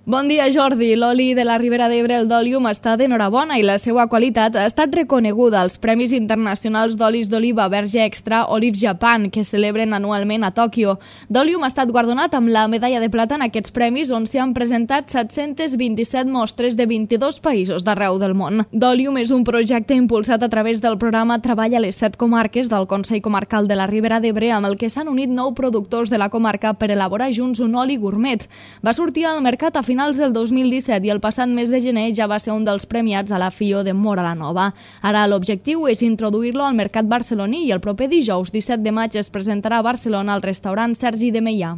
Bon dia, Jordi. L'oli de la Ribera d'Ebre, el d'Olium, està d'enhorabona i la seva qualitat ha estat reconeguda als Premis Internacionals d'Olis d'Oliva Verge Extra Olive Japan, que celebren anualment a Tòquio. D'Olium ha estat guardonat amb la medalla de plata en aquests premis, on s'hi han presentat 727 mostres de 22 països d'arreu del món. D'Olium és un projecte impulsat a través del programa Treball a les 7 comarques del Consell Comarcal de la Ribera d'Ebre, amb el que s'han unit 9 productors de la comarca per elaborar junts un oli gourmet. Va sortir al mercat a finals del 2017 i el passat mes de gener ja va ser un dels premiats a la FIO de Móra la Nova. Ara l'objectiu és introduir-lo al mercat barceloní i el proper dijous 17 de maig es presentarà a Barcelona al restaurant Sergi de Meià.